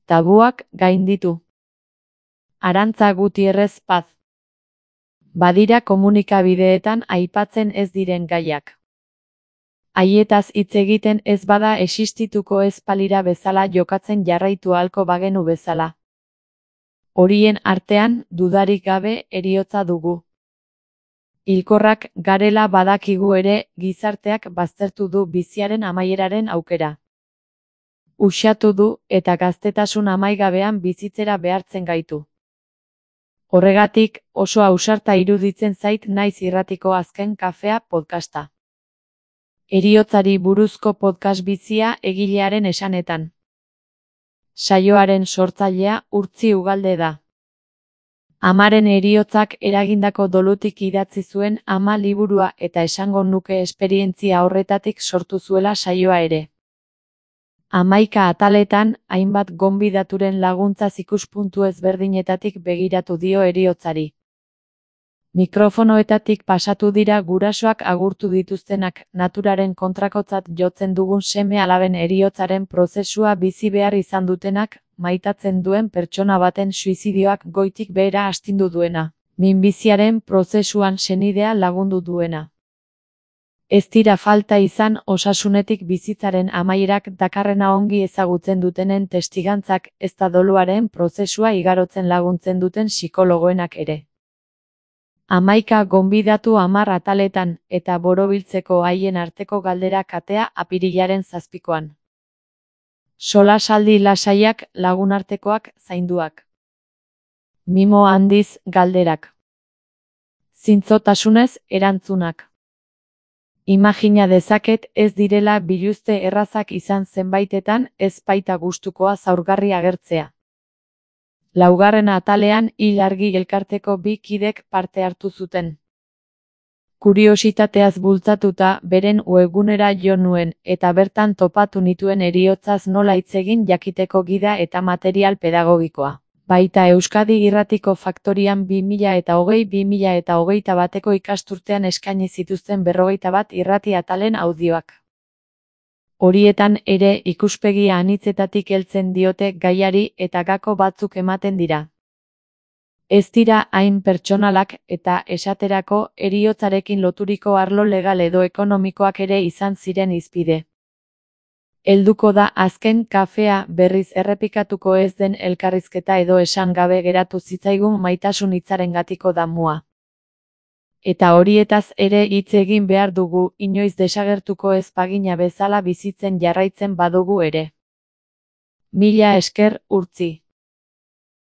tabuak gainditu. Arantza Gutierrez Paz. Badira komunikabideetan aipatzen ez diren gaiak. Haietaz hitz egiten ez bada existituko ez balira bezala jokatzen jarraitu ahalko bagenu bezala. Horien artean, dudarik gabe, heriotza dugu. Hilkorrak garela badakigu ere, gizarteak baztertu du biziaren amaieraren aukera. Uxatu du eta gaztetasun amaigabean bizitzera behartzen gaitu. Horregatik, oso ausarta iruditzen zait Naiz Irratiko Azken Kafea podcasta. Heriotzari buruzko podcast bizia egilearen esanetan. Saioaren sortzailea Urtzi Ugalde da. Amaren heriotzak eragindako dolutik idatzi zuen Ama liburua eta esango nuke esperientzia horretatik sortu zuela saioa ere. 11 ataletan, hainbat gonbidaturen laguntzaz ikuspuntu ezberdinetatik begiratu dio heriotzari. Mikrofonoetatik pasatu dira gurasoak agurtu dituztenak, naturaren kontrakotzat jotzen dugun seme-alaben heriotzaren prozesua bizi behar izan dutenak, maitatzen duen pertsona baten suizidioak goitik behera astindu duena, minbiziaren prozesuan senidea lagundu duena. Ez dira falta izan osasunetik bizitzaren amaierak dakarrena ongi ezagutzen dutenen testigantzak, ezta doluaren prozesua igarotzen laguntzen duten psikologoenak ere. 11 gonbidatu 10 ataletan, eta borobiltzeko haien arteko galdera katea apirilaren 7koan. Solasaldi lasaiak, lagunartekoak, zainduak. Mimo handiz, galderak. Zintzotasunez, erantzunak. Imagina dezaket ez direla biluzte errazak izan zenbaitetan ez baita gustukoa zaurgarri agertzea. 4. atalean hil argi elkarteko 2 kidek parte hartu zuten. Kuriositateaz bultzatuta beren webgunera jo nuen eta bertan topatu nituen heriotzaz nola hitz egin jakiteko gida eta material pedagogikoa. Baita Euskadi Irratiko Faktorian 2020-2021 ikasturtean eskaini zituzten 41 irrati atalen audioak. Horietan ere ikuspegi anitzetatik heltzen diote gaiari eta gako batzuk ematen dira. Ez dira hain pertsonalak eta esaterako heriotzarekin loturiko arlo legal edo ekonomikoak ere izan ziren hizpide. Helduko da azken kafea berriz errepikatuko ez den elkarrizketa edo esan gabe geratu zitzaigun maitasun hitzarengatiko damua. Eta horietaz ere hitz egin behar dugu, inoiz desagertuko ez bagina bezala bizitzen jarraitzen badugu ere. Mila esker, Urtzi.